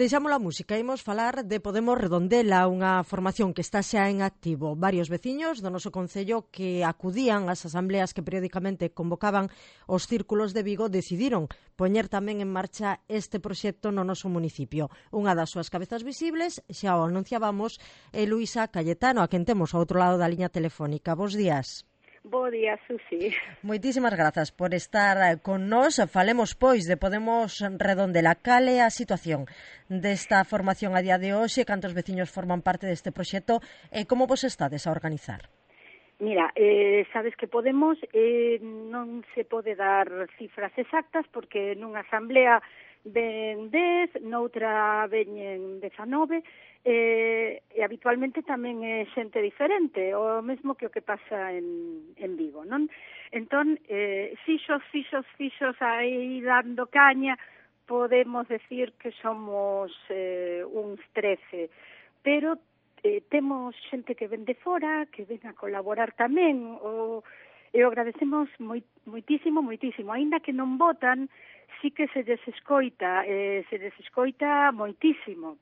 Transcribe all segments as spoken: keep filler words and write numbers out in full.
Deixamos a música, imos falar de Podemos Redondela, unha formación que está xa en activo. Varios veciños do noso concello que acudían ás asambleas que periódicamente convocaban os círculos de Vigo decidiron poñer tamén en marcha este proxecto no noso municipio. Unha das súas cabezas visibles, xa o anunciábamos, é Luisa Cayetano, a quen temos ao outro lado da liña telefónica. Bos días. Bo día, Susi. Moitísimas grazas por estar con nós. Falemos, pois, de Podemos Redondela. Cal é a situación desta formación a día de hoxe? Cantos veciños forman parte deste proxecto? E como vos estades a organizar? Mira, eh, sabes que Podemos eh, non se pode dar cifras exactas porque nunha asamblea ven dez, noutra veñen dezanove, eh, e habitualmente tamén é xente diferente, o mesmo que o que pasa en, en Vigo, non? Entón, eh, fixos, fixos, fixos aí dando caña, podemos decir que somos eh, uns trece, pero eh, temos xente que ven de fora, que ven a colaborar tamén, o, e o agradecemos moi, moitísimo, moitísimo, aínda que non votan, sí que se les escoita, eh, se les escoita moitísimo.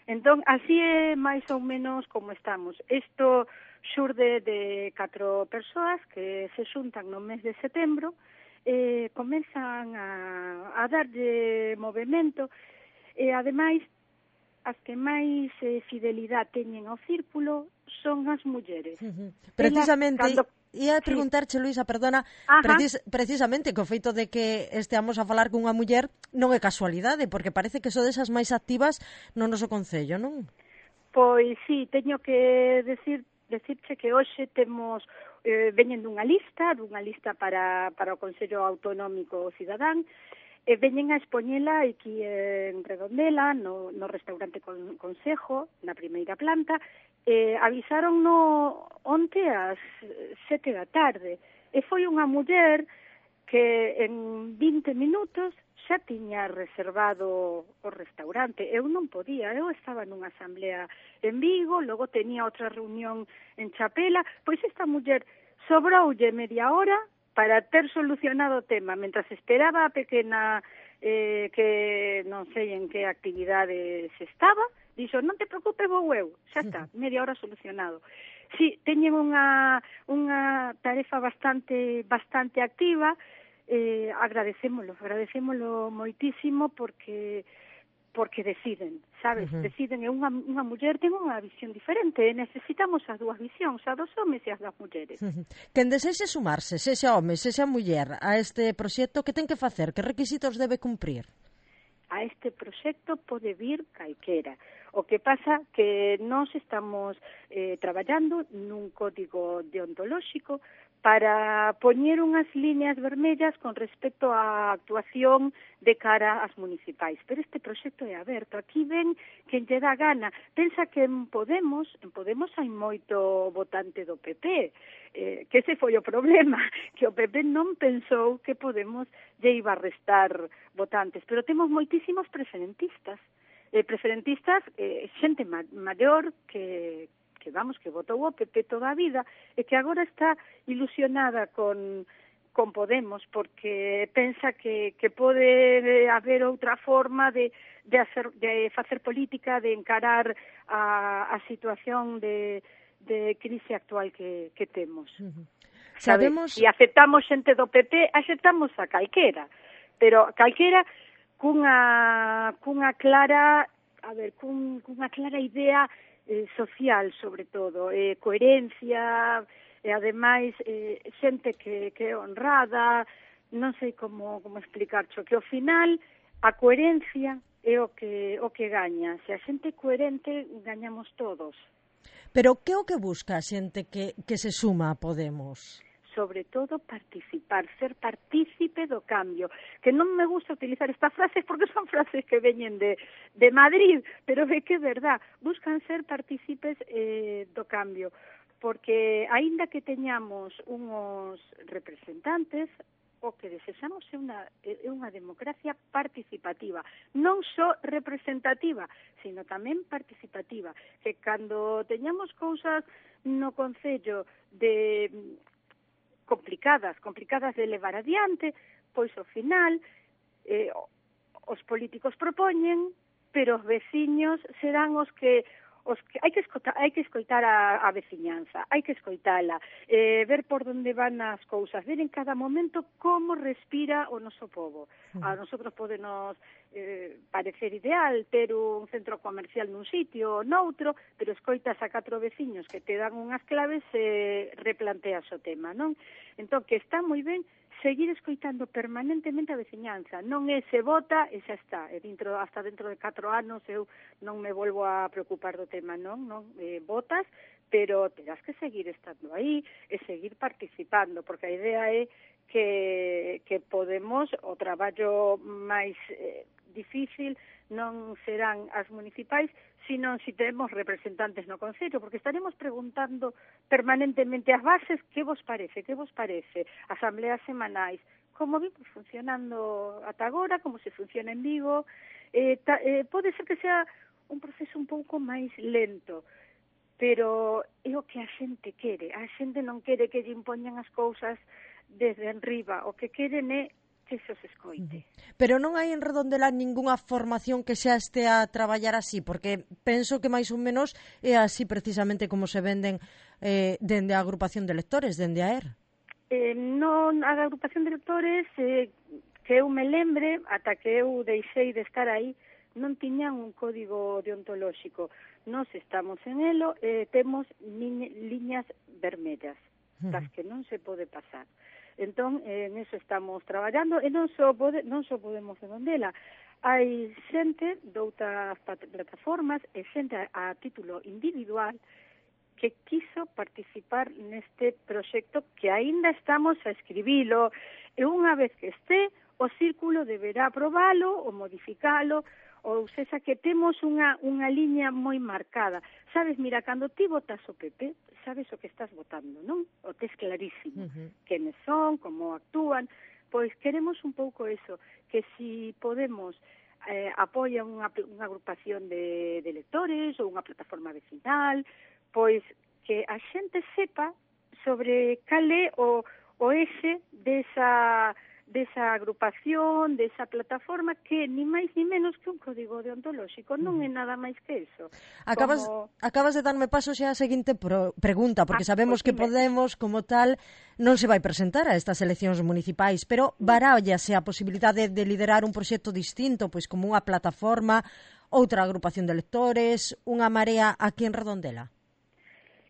Entón, así é máis ou menos como estamos. Isto xurde de catro persoas que se xuntan no mes de setembro, eh, comenzan a, a darlle movimento, e ademais, as que máis eh, fidelidade teñen ao círculo son as mulleres. Uh-huh. Precisamente... Elas, cando... Ia a preguntarche, sí. Luisa, perdona, precis, precisamente que o feito de que esteamos a falar cunha muller non é casualidade, porque parece que sodes as máis activas no noso concello, non? Pois sí, teño que decir decirche que hoxe temos eh, veñen dunha lista, dunha lista para, para o Consello Autonómico Cidadán, e veñen a expoñela aquí en Redondela, no, no restaurante con, Concejo, na primeira planta. Eh, avisaron no onte ás sete da tarde, e foi unha muller que en vinte minutos xa tiña reservado o restaurante. Eu non podía, eu estaba nunha asamblea en Vigo, logo tenía outra reunión en Chapela, pois esta muller sobroulle media hora para ter solucionado o tema, mentras esperaba a pequena eh, que non sei en que actividade se estaba, dixo, non te preocupes, vou eu, xa está, media hora solucionado. Si, teñen unha, unha tarefa bastante bastante activa, eh, agradecémolo, agradecémolo moitísimo porque porque deciden, sabes? Uh-huh. Deciden, é unha, unha muller ten unha visión diferente, e necesitamos as dúas visións, a dos homes e as das mulleres. Uh-huh. Quen desexe sumarse, sexa home, sexa muller, a este proxecto, que ten que facer? Que requisitos debe cumprir? A este proxecto pode vir calquera. O que pasa que nós estamos eh, traballando nun código deontolóxico para poñer unhas líneas vermellas con respecto á actuación de cara ás municipais. Pero este proxecto é aberto. Aquí ven quen lle dá gana. Pensa que en Podemos, en Podemos hai moito votante do P P, eh, que ese foi o problema, que o P P non pensou que Podemos lle iba a restar votantes. Pero temos moitísimos preferentistas. Eh, preferentistas, eh, xente ma maior que... que vamos, que votou o P P toda a vida e que agora está ilusionada con, con Podemos porque pensa que, que pode haber outra forma de, de, hacer, de facer política, de encarar a, a situación de, de crise actual que, que temos. Uh-huh. Sabemos... Se aceptamos xente do P P, aceptamos a calquera, pero calquera cunha, cunha clara, a ver, cun, cunha clara idea Eh, social, sobre todo, eh, coherencia, e ademais eh, xente que, que é honrada, non sei como, como explicarcho, que ao final a coherencia é o que, o que gaña. Se a xente é coherente, gañamos todos. Pero que é o que busca a xente que, que se suma a Podemos? Sobre todo participar, ser partícipe do cambio, que non me gusta utilizar estas frases porque son frases que veñen de, de Madrid, pero é que é verdad, buscan ser partícipes eh, do cambio, porque aínda que teñamos uns representantes, o que desexamos é unha, é unha democracia participativa, non só representativa, sino tamén participativa, que cando teñamos cousas no Concello de complicadas, complicadas de levar adiante, pois ao final eh, os políticos propoñen, pero os veciños serán os que os que hai que escoitar, hai que escoitar a, a veciñanza, hai que escoitala, eh, ver por onde van as cousas, ver en cada momento como respira o noso povo. A nosotros podenos eh, parecer ideal ter un centro comercial nun sitio ou noutro, pero escoitas a catro veciños que te dan unhas claves e replanteas o tema, non? Entón, que está moi ben seguir escoitando permanentemente a veciñanza, non é se vota e xa está, e dentro, hasta dentro de catro anos eu non me volvo a preocupar do tema, non, non, eh, votas, pero terás que seguir estando aí e seguir participando, porque a idea é que, que podemos, o traballo máis eh, difícil non serán as municipais, sino si temos representantes no Concello, porque estaremos preguntando permanentemente as bases que vos parece, que vos parece, asambleas semanais, como vimos funcionando ata agora, como se funciona en Vigo, eh, ta, eh, pode ser que sea un proceso un pouco máis lento, pero é o que a xente quere, a xente non quere que lle impoñan as cousas desde enriba, o que queren é que se os escoite. Pero non hai en Redondela ningunha formación que xa este a traballar así, porque penso que máis ou menos é así precisamente como se venden eh, dende a agrupación de lectores, dende a E R. Eh, non, a agrupación de lectores, eh, que eu me lembre, ata que eu deixei de estar aí, non tiñan un código deontolóxico. Nos estamos en elo, eh, temos liñas vermellas, das que non se pode pasar. Entón, eh, en eso estamos traballando, e non só, pode, non só podemos Redondela. Hai xente de outras plataformas e xente a, a título individual que quiso participar neste proxecto que aínda estamos a escribilo, e unha vez que este, o círculo deberá aprobalo ou modificalo, ou sexa que temos unha, unha liña moi marcada. Sabes, mira, cando ti votas o P P, sabes o que estás votando, non? O tes clarísimo. Uh-huh. Quenes son, como actúan. Pois queremos un pouco eso, que si Podemos eh, apoia unha, unha agrupación de, de lectores ou unha plataforma vecinal, pois que a xente sepa sobre cal é o, o exe desa... desa agrupación, desa plataforma, que ni máis ni menos que un código deontolóxico, non é nada máis que eso. Acabas, como... acabas de darme paso xa a seguinte pro, pregunta, porque ah, sabemos pues, que Podemos, como tal, non se vai presentar a estas eleccións municipais, pero barállase a posibilidade de liderar un proxecto distinto, pois como unha plataforma, outra agrupación de lectores, unha marea aquí en Redondela.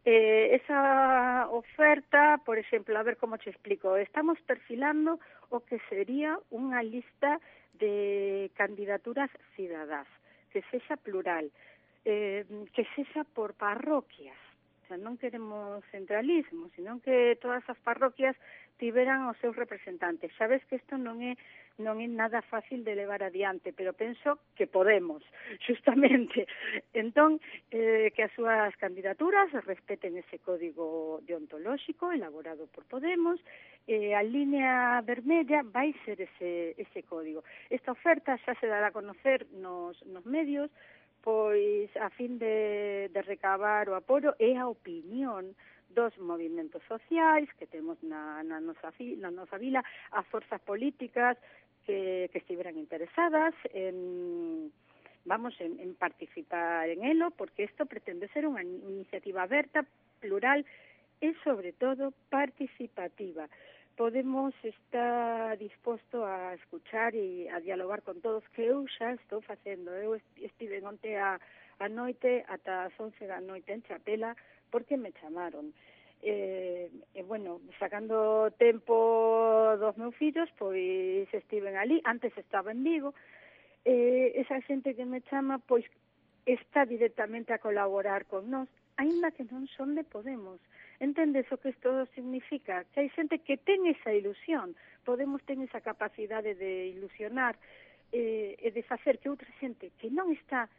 Eh, esa oferta, por exemplo, a ver como te explico, estamos perfilando o que sería unha lista de candidaturas cidadás, que sexa plural, eh, que sexa por parroquias, o sea, non queremos centralismo, sino que todas as parroquias tiveran os seus representantes. Sabes que isto non é non é nada fácil de levar adiante, pero penso que podemos, justamente. Entón, eh, que as súas candidaturas respeten ese código deontolóxico elaborado por Podemos, eh, a línea vermella vai ser ese, ese código. Esta oferta xa se dará a conocer nos, nos medios, pois a fin de, de recabar o apoio e a opinión dos movimentos sociais que temos na, na, nosa, na nosa vila, as forzas políticas que, que estiveran interesadas en, vamos, en, en participar en elo, porque isto pretende ser unha iniciativa aberta, plural e, sobre todo, participativa. Podemos estar disposto a escuchar e a dialogar con todos, que eu xa estou facendo. Eu estive onte a, a noite ata as once da noite en Chapela, porque me chamaron. E, e, bueno, sacando tempo dos meus fillos, pois estiven ali, antes estaba en Vigo, e esa xente que me chama, pois está directamente a colaborar con nós, aínda que non son de Podemos. Entendes o que isto significa? Que hai xente que ten esa ilusión, Podemos ten esa capacidade de ilusionar e, e de facer que outra xente que non está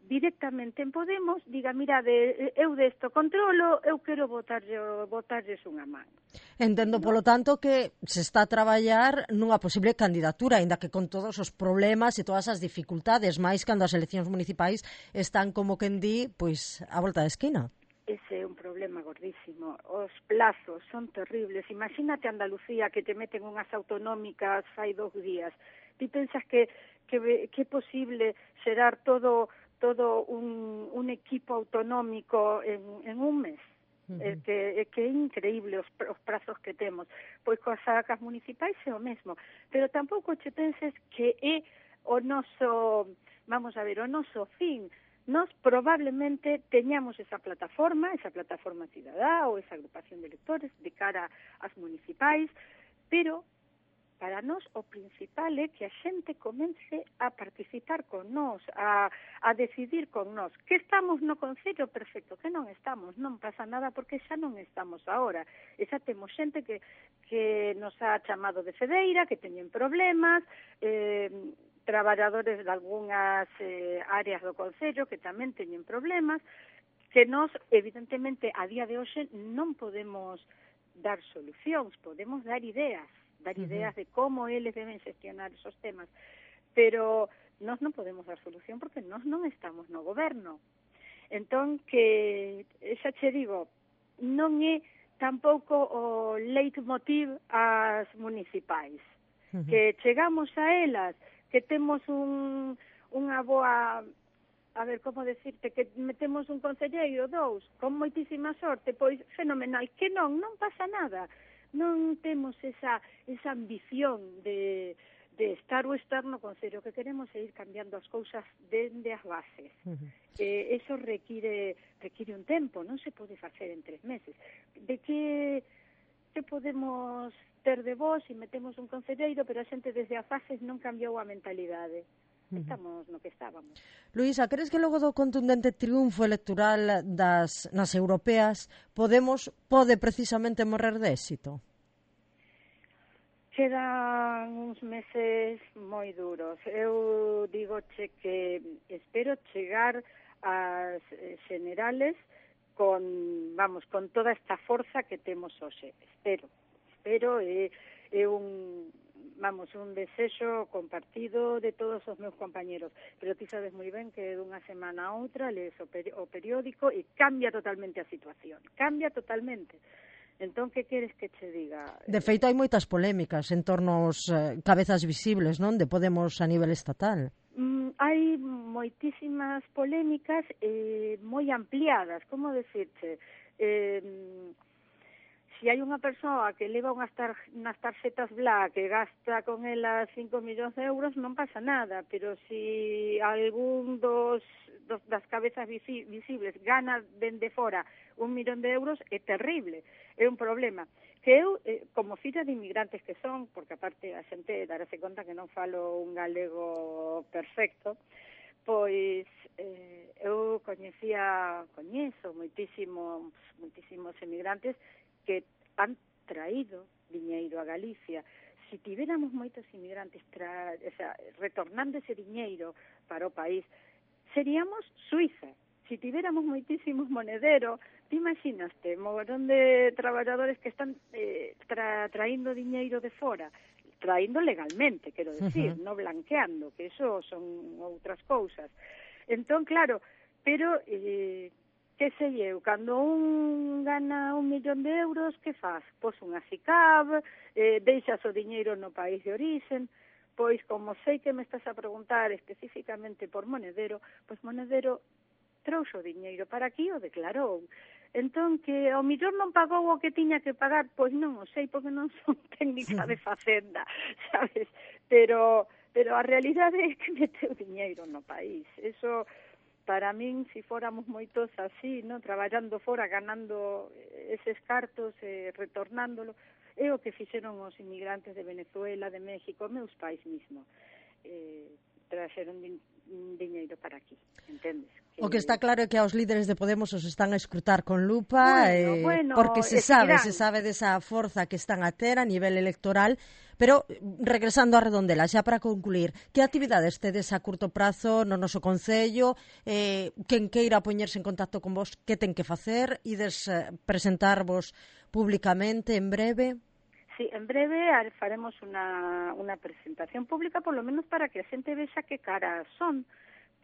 directamente en Podemos diga, mira, de, eu desto controlo, eu quero votarlle, votarlles unha man. Entendo, ¿no? Polo tanto, que se está a traballar nunha posible candidatura, aínda que con todos os problemas e todas as dificultades, máis cando as eleccións municipais están, como quen di, pois, a volta da esquina. Ese é un problema gordísimo. Os plazos son terribles. Imagínate Andalucía, que te meten unhas autonómicas fai dos días. Ti pensas que que, que é posible xerar todo todo un, un equipo autonómico en, en un mes? Uh-huh. É que, é que é increíble os, os prazos que temos. Pois coas sacas municipais é o mesmo. Pero tampouco che penses que é o noso, vamos a ver, o noso fin. Nos probablemente teñamos esa plataforma, esa plataforma cidadá ou esa agrupación de electores de cara ás municipais, pero para nós o principal é que a xente comence a participar con nós, a, a decidir con nós. Que estamos no Concello? Perfecto, que non estamos, non pasa nada porque xa non estamos agora. E xa temos xente que, que nos ha chamado de Fedeira, que teñen problemas, eh, traballadores de algunhas eh, áreas do Concello que tamén teñen problemas, que nós, evidentemente, a día de hoxe non podemos dar solucións, podemos dar ideas, dar uh-huh. ideas de como eles deben xestionar esos temas, pero nós non podemos dar solución porque nós non estamos no goberno. Entón, que, xa che digo, non é tampouco o leitmotiv ás municipais, uh-huh. que chegamos a elas, que temos un, unha boa, a ver, como decirte, que metemos un concelleiro, dous, con moitísima sorte, pois fenomenal, que non, non pasa nada, non temos esa, esa ambición de, de estar ou estar no concello, que queremos é ir cambiando as cousas dende as bases. Uh-huh. Eh, eso require, require un tempo, non se pode facer en tres meses. De que, que podemos ter de vos e metemos un concelleiro, pero a xente desde as fases non cambiou a mentalidade. Estamos no que estábamos. Luísa, crees que logo do contundente triunfo electoral das nas europeas Podemos pode precisamente morrer de éxito? Quedan uns meses moi duros. Eu digoche que espero chegar ás generales con, vamos, con toda esta forza que temos hoxe. Espero. Pero é, é un, vamos, un desexo compartido de todos os meus compañeros. Pero ti sabes moi ben que dunha semana a outra lees o, peri o periódico e cambia totalmente a situación. Cambia totalmente. Entón, que queres que che diga? De feito, hai moitas polémicas en torno aos eh, cabezas visibles, non? De Podemos a nivel estatal. Mm, hai moitísimas polémicas eh, moi ampliadas, como decirche? Eh, Se hai unha persoa que leva unhas, tar, unhas tarxetas Bla que gasta con elas cinco millóns de euros, non pasa nada, pero se algún dos, dos das cabezas visi, visibles gana dende fora un millón de euros, é terrible, é un problema. Que eu, eh, como filla de inmigrantes que son, porque aparte a xente darase conta que non falo un galego perfecto, pois eh, eu coñecía, coñezo moitísimos, moitísimos emigrantes que han traído diñeiro a Galicia. Se tivéramos moitos inmigrantes tra, o sea, retornando ese diñeiro para o país, seríamos Suiza. Se tivéramos moitísimos monederos, te imaginaste, mogollón de traballadores que están eh, tra, traíndo diñeiro de fora, traíndo legalmente, quero decir, uh-huh. no blanqueando, que eso son outras cousas. Entón, claro, pero... Eh, que sei eu, cando un gana un millón de euros, que faz? Pois unha SICAV, eh, deixas o diñeiro no país de orixen, pois como sei que me estás a preguntar especificamente por Monedero, pois Monedero trouxo o diñeiro para aquí o declarou. Entón, que ao millor non pagou o que tiña que pagar, pois non o sei, porque non son técnica de facenda, sabes? Pero, pero a realidade é que meteu diñeiro no país. Eso... Para min, se fóramos moitos así, no, traballando fora, ganando eses cartos, eh, retornándolo, é o que fixeron os inmigrantes de Venezuela, de México, meus pais mismo. Eh, traxeron din, diñeiro para aquí, entendes? Que... O que está claro é que aos líderes de Podemos os están a escrutar con lupa, bueno, eh, bueno, porque se sabe, seguirán. se sabe desa forza que están a ter a nivel electoral. Pero, regresando a Redondela, xa para concluir, que actividades tedes a curto prazo no noso Concello? Eh, quen queira poñerse en contacto con vos, que ten que facer? Ides eh, presentarvos públicamente en breve? Sí, en breve faremos unha, unha presentación pública, por lo menos para que a xente vexa que caras son,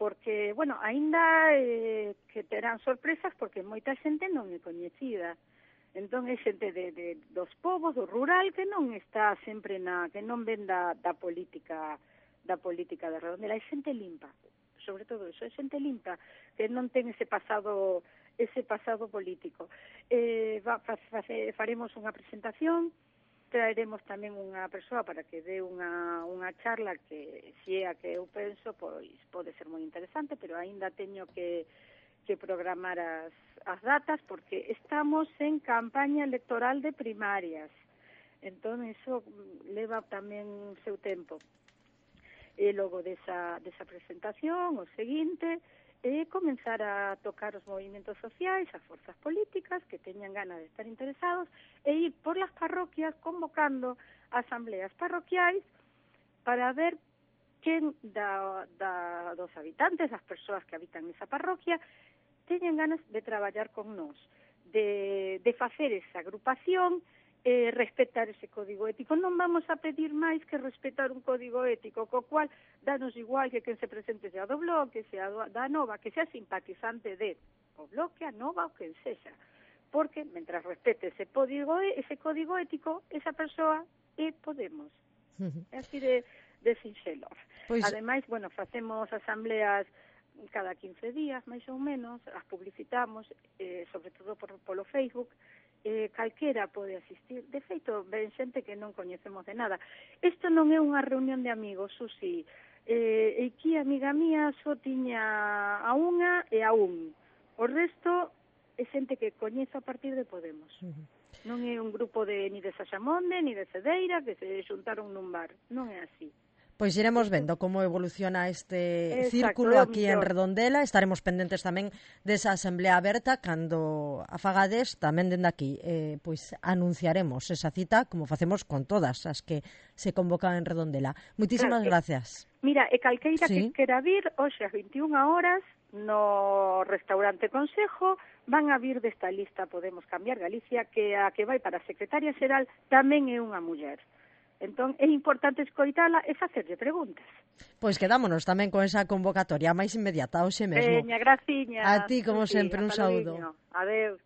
porque, bueno, aínda eh, que terán sorpresas porque moita xente non é coñecida. Entón, é xente de, de, dos povos, do rural, que non está sempre na, que non ven da, da política da política de Redondela, é xente limpa, sobre todo eso, é xente limpa, que non ten ese pasado ese pasado político. Eh, va, fa, fa, faremos unha presentación, traeremos tamén unha persoa para que dé unha, unha charla que, se é a que eu penso, pois pode ser moi interesante, pero aínda teño que, que programar as, as datas, porque estamos en campaña electoral de primarias. Entón, iso leva tamén o seu tempo. E logo desa, desa presentación, o seguinte, é comenzar a tocar os movimentos sociais, as forzas políticas que teñan ganas de estar interesados, e ir por las parroquias convocando asambleas parroquiais para ver quen da, da, dos habitantes, das persoas que habitan esa parroquia, teñen ganas de traballar con nós, de, de facer esa agrupación, eh, respetar ese código ético. Non vamos a pedir máis que respetar un código ético, co cual danos igual que quen se presente sea do Bloque, sea do, da Nova, que sea simpatizante de o Bloque, a Nova ou quen sexa, porque mentras respete ese código, ese código ético, esa persoa é Podemos. Uh-huh. É así de, de sinxelo. Pois... Ademais, bueno, facemos asambleas cada quince días, máis ou menos, as publicitamos, eh, sobre todo por, polo Facebook, eh, calquera pode asistir. De feito, ven xente que non coñecemos de nada. Isto non é unha reunión de amigos, Susi. Eh, aquí, amiga mía, só tiña a unha e a un. O resto é xente que coñezo a partir de Podemos. Uh-huh. Non é un grupo de ni de Saxamonde, ni de Cedeira, que se xuntaron nun bar. Non é así. Pois iremos vendo como evoluciona este Exacto, círculo aquí en Redondela. Estaremos pendentes tamén desa asamblea aberta cando a fagades tamén dende aquí. Eh, pois anunciaremos esa cita como facemos con todas as que se convocan en Redondela. Muitísimas claro, gracias. Mira, e calqueira sí. que quera vir hoxe ás vinte e unha horas no restaurante Consejo van a vir desta lista Podemos Cambiar Galicia, que a que vai para a secretaria xeral tamén é unha muller. Entón, é importante escoitala e facerlle preguntas. Pois quedámonos tamén con esa convocatoria máis inmediata, hoxe mesmo. Veña, graciña. A ti, como sí, sempre, un saúdo. Adeus.